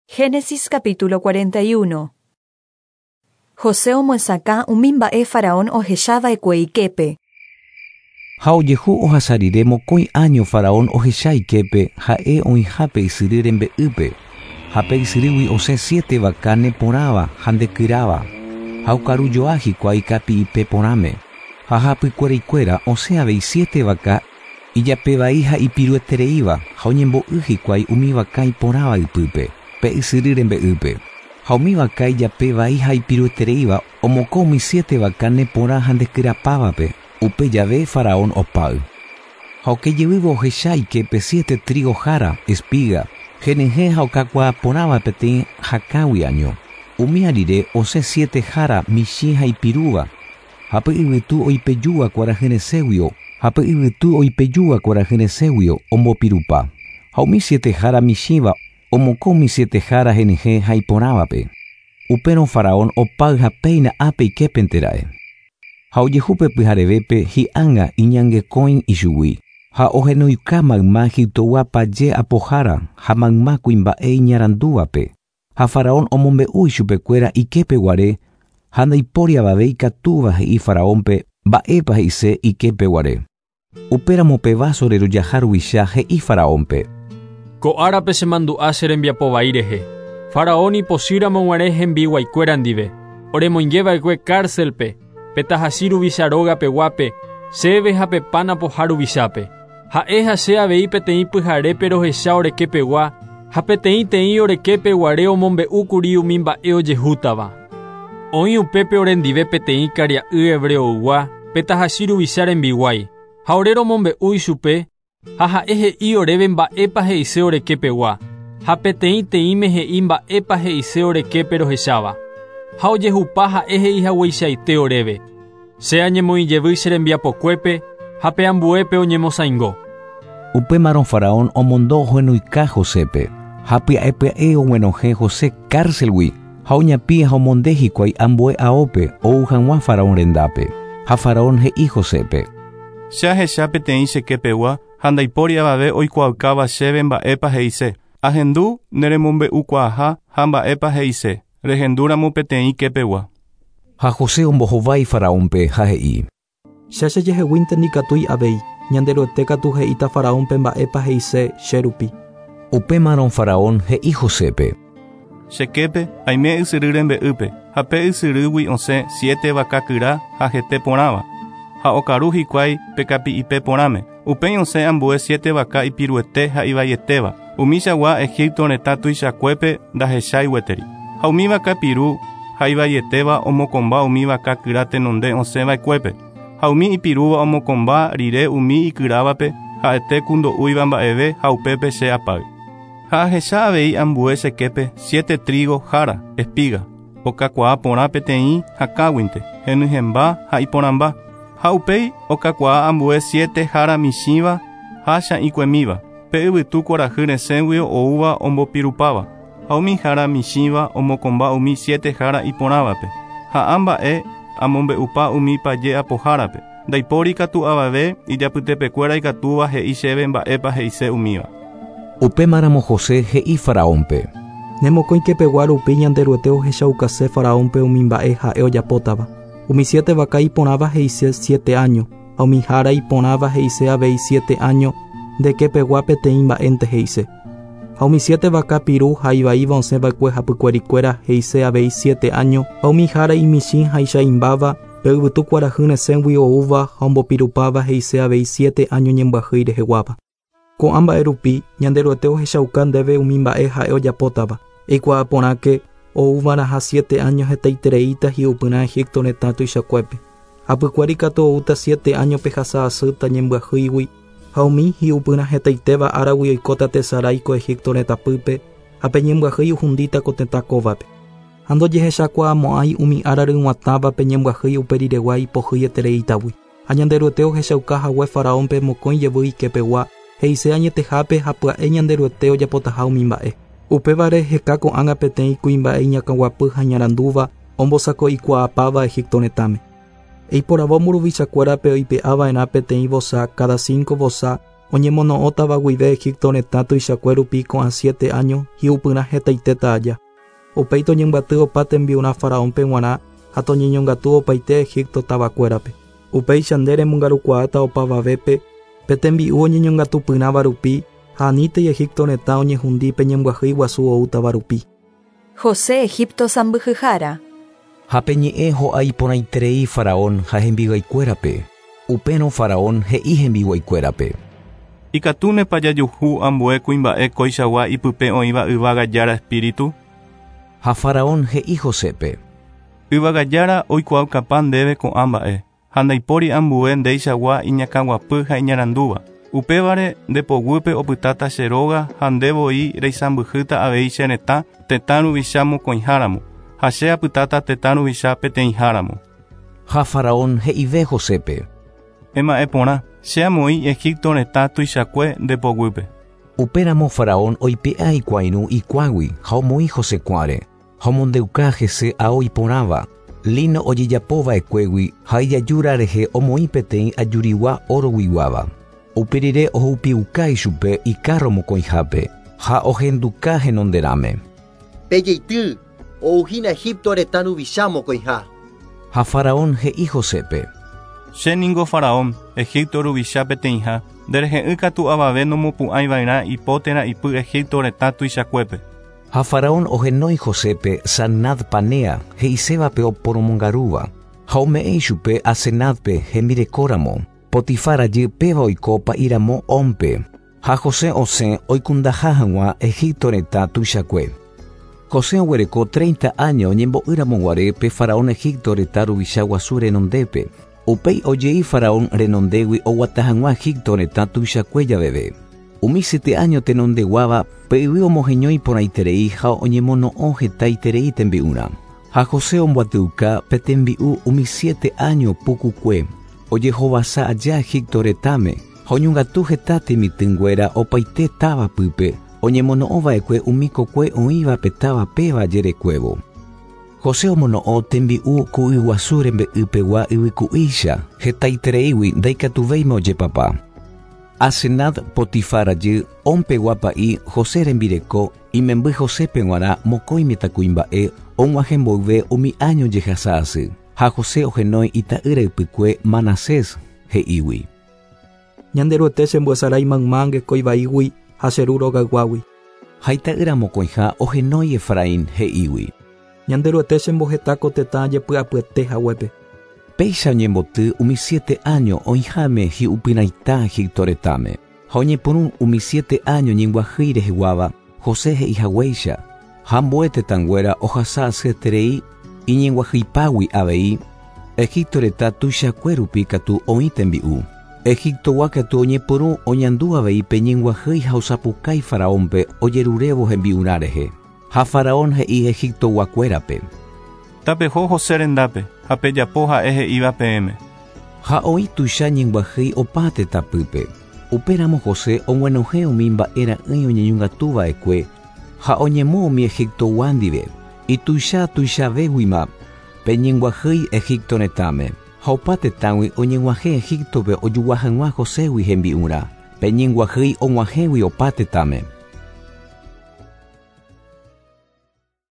Génesis capítulo 41. José omyesakã umi mba'e Faraón ohechava'ekue iképe. Ha ojehu ohasa rire mokõi áño Faraón ohecha iképe ha'e oĩha pe ysyry rembe'ýpe, ha pe ysyrýgui osẽ siete vaka neporãva ha ndekyráva, ha okarujoa hikuái kapi'ipe porãme. Ha hapykueraikuéra osẽ avei siete vaka ijapevai ha ipiruetereíva ha oñembo'y hikuái umi vaka iporãva ypýpe, pe ysyry rembe'ýpe. Ha umi vaka ijape vai ha ipiruetereíva omokõ umi siete vaka neporã ha ndekyrapávape, upe jave Faraón opáy. Ha oke jevývo ohecha iképe siete trígo jára, espiga, henyhẽ ha okakuaa porãva peteĩ hakãgui año. Umíva rire osẽ siete jára michĩ ha ipirúva, ha pe yvytu oipejúva kuarahyresẽguio ha pe yvytu oipejúva kuarahyresẽguio ombopirupa. Ha umi siete jára michĩva omokõ umi siete jára henyhẽ ha iporãvape. Upérõ Faraón opáy ha péina ápe iképente ra'e. Ha ojehu pe pyharevépe hi'ánga iñangekõi ichugui, ha ohenoika mayma Egiptogua paje apohára ha mayma kuimba'e iñarandúvape. Ha Faraón omombe'u ichupekuéra iképe guare ha ndaipóri avave ikatúva he'i Faraónpe mba'épa he'ise iképe guare. Upéramo pe váso rerojaha ruvicha he'i Faraónpe. Ko árape chemandu'a che rembiapo vai rehe. Faraón ipochýramo guare hembiguaikuéra ndive, oremoingeva'ekue cárcel-pe, pe tahachi ruvicha róga peguápe, chéve ha pe pan apoha ruvichápe. Ha'e ha che avei peteĩ pyharépe rohecha orekepegua ha peteĩteĩ orekepeguare omombe'úkuri umi mba'e ojehútava. Oĩ upépe orendive peteĩ karia'y hebreoygua, pe tahachi ruvicha rembiguái, ha ore romombe'u ichupe, ha ha'e he'i oréve mba'épa he'ise orekepegua, ha peteĩteĩme he'i mba'épa he'ise oreképe rohecháva. Ha ojehupa ha'e he'ihagueichaite oréve. Che añemoĩjevy che rembiapokuépe ha pe ambuépe oñemosãingo. Upémarõ Faraón omondo ohenuika Josépe, ha pya'e pya'e oguenohẽ José cárcelgui ha oñapĩ ha omonde hikuái ambue aópe ou hag̃ua Faraón rendápe. Ha Faraón he'i Josépe. Che ahecha peteĩ che kepegua ha ndaipóri avave oikuaaukáva chéve mba'épa he'ise. Ahendu neremombe'ukuaaha ha mba'épa he'ise, rehendúramo peteĩ kepegua. Ha José ombohovái Faraónpe ha he'i. Che chejeheguínte ndikatúi avei, Ñanderuete katu he'íta Faraónpe mba'épa he'ise che rupi. Upémarõ Faraón he'i Josépe. Che képe, aime ysyry rembe'ýpe, ha pe ysyrýgui osẽ siete vaka kyra ha hete porãva, ha okaru hikuái pe kapi'ipe porãme. Upéi osẽ ambue siete vaka ipiruete ha ivaietéva, umichagua Egipto retã tuichakuépe ndahechái gueteri. Ha umi vaka piru ha ivaietéva omokõmba umi vaka kyra tenonde osẽ va'ekuépe. Ha umi ipirúva omokõmba rire umi ikyrávape, ha'ete ku ndo'úiva mba'eve ha upépe che apáy. Ha ahecha avei ambue che képe siete trígo jára, espiga, okakuaa porã peteĩ hakãguinte, henyhẽmba ha iporãmba. Ha upéi okakuaa ambue siete jára michĩva ha cha'ĩkuemíva, pe yvytu kuarahy resẽguio oúva ombopirupáva. Ha umi jára michĩva omokõmba umi siete jára iporãvape. Ha ã mba'e amombe'upa umi paje apohárape. Ndaipóri katu avave ijapytepekuéra ikatúva he'i chéve mba'épa he'ise umíva. Upémaramo José he'i Faraónpe. Ne mokõi kepegua rupi Ñanderuete ohechaukase Faraónpe umi mba'e ha'e ojapótava. Umi siete vaka iporãva he'ise siete áño, ha umi jára iporãva he'ise avei siete áño, nde kepegua peteĩ mba'énte he'ise. Ha umi siete vaka piru ha ivaíva osẽ va'ekue hapykuerikuéra he'ise avei siete áño, ha umi jára imichĩ ha icha'ĩmbáva, pe yvytu kuarahy resẽgui oúva ha ombopirupáva he'ise avei siete áño ñembyahýi reheguáva. Ko'ã mba'e rupi, Ñanderuete ohechauka ndéve umi mba'e ha'e ojapótava. Eikuaa porãke, ouva'erãha siete áño hetaitereíta hi'upyrã Egipto retã tuichakuépe. Hapykuéri katu oúta siete áño pehasa asýta ñembyahýigui, ha umi hi'upyrã hetaitéva áragui oikóta tesarái ko Egipto retãpýpe, ha pe ñembyahýi ohundíta ko tetã kóvape. Ha ndojehechakuaamo'ãi umi ára ryg̃uatãva pe ñembyahýi upe riregua ipohýietereítagui. Ha Ñanderuete ohechauka hague Faraónpe mokõi jevy ikepegua, he'ise añetehápe ha pya'e Ñanderuete ojapotaha umi mba'e. Upévare heka ko'ág̃a peteĩ kuimba'e iñakãguapy ha iñarandúva ombosako'ikuaapáva Egipto retãme. Eiporavo mburuvichakuérape oipe'a va'erã peteĩ vosa káda cinco vosa Oñemono'õtava guive Egipto retã tuichakue rupi ko'ã siete áño hi'upyrã hetaitéta aja. Upéi toñembyaty opa tembi'urã Faraónpe g̃uarã ha toñeñongatu opaite Egipto tavakuérape. Upéicha nde remongarukuaáta opavavépe pe tembi'u oñeñongatupyrãva rupi ha anítei Egipto retã oñehundi pe ñembyahýi guasu oútava rupi. José Egipto sãmbyhyhára. Ha pe ñe'ẽ ho'a iporãiterei Faraón ha hembiguaikuérape. Upérõ Faraón he'i hembiguaikuérape. Ikatúnepa jajuhu ambue kuimba'e koichagua ipype oĩva yvága Jára espíritu? Ha Faraón he'i Josépe. Yvága Jára oikuaukapa ndéve ko'ã mba'e, ha ndaipóri ambue ndeichagua iñakãguapy ha iñarandúva. Upévare nde poguýpe opytáta che róga ha nde voi reisãmbyhýta avei che retã tetã ruvicha mokõiháramo, ha che apytáta tetã ruvicha peteĩháramo. Ha Faraón he'ive Josépe. Ema'ẽ porã, che amoĩ Egipto retã tuichakue nde poguýpe. Upéramo Faraón oipe'a ikuãirũ ikuãgui ha omoĩ José kuãre, ha omondeuka hese ao iporãva, lino ojejapo va'ekuégui ha ijajúra rehe omoĩ peteĩ ajurigua oroguiguáva. Upe rire ohupiuka ichupe ikárro mokõihápe ha ohenduka henonderãme. Pejeity, ouhína Egipto retã ruvicha mokõiha. Ha Faraón he'i Josépe. Che ningo Faraón, Egipto ruvicha peteĩha, nderehe'ỹ katu avave nomopu'ãiva'erã ipo térã ipy Egipto retã tuichakuépe. Ha Faraón ohenói Josépe Sanad-Panea, he'isévape oporomongarúva, ha ome'ẽ ichupe Asenátpe hembirekóramo. Potifar rajy péva oiko pa'íramo Ónpe. Ha José osẽ oikundaha hag̃ua Egipto retã tuichakue. José oguereko treinta áño oñembo'ýramo guare pe Faraón Egipto retã ruvicha guasu renondépe. Upéi ojei Faraón renondégui oguata hag̃ua Egipto retã tuichakue javeve. Umi siete áño tenondeguáva pe yvy omoheñói porãiterei ha oñemono'õ hetaiterei tembi'urã. Ha José omboatyuka pe tembi'u umi siete áño pukukue ojehovasa aja Egipto retãme, ha oñongatu heta temitỹnguéra opaite táva pýpe, oñemono'õ va'ekue umi kokue oĩva pe táva péva jerekuévo. José omono'õ tembi'u ku yguasu rembe'ypegua yvyku'ícha, hetaitereígui ndaikatuvéima ojepapa. Asenat, Potifar rajy, On pegua pa'i, José rembireko, imemby Josépe g̃uarã mokõi mitãkuimba'e og̃uahẽ mboyve umi áño jehasa asy. Ha José ohenói ita'ýra ypykue Manasés, he'ígui. Ñanderuete chembyesarái mayma angekói vaígui ha che ru rogayguágui. Ha ita'ýra mokõiha ohenói Efraín, he'ígui. Ñanderuete chemboheta ko tetã jepy'apyete haguépe. Péicha oñemboty umi siete áño oĩháme hi'upyrãita Egipto retãme. Ha oñepyrũ umi siete áño ñembyahýi reheguáva, José he'ihaguéicha, ha ambue tetãnguéra ohasa asyeterei iñembyahýipagui avei, Egipto retã tuichakue rupi katu oĩ tembi'u. Egiptogua katu oñepyrũ oñandu avei pe ñembyahýi ha osapukái Faraónpe ojerurévo hembi'urã rehe. Ha Faraón he'i Egiptoguakuérape. Tapeho José rendápe, ha pejapo ha'e he'íva peẽme. Ha oĩ tuicha ñembyahýi opa tetãpýpe. Upéramo José og̃uenohẽ umi mba'e ra'ỹi oñeñongatu va'ekue ha oñemu umi Egiptogua ndive. Ituicha tuichavéguima pe ñembyahýi Egipto retãme, ha opa tetãgui oñeg̃uahẽ Egíptope ojogua hag̃ua Joségui hembi'urã, pe ñembyahýi og̃uahẽgui opa tetãme.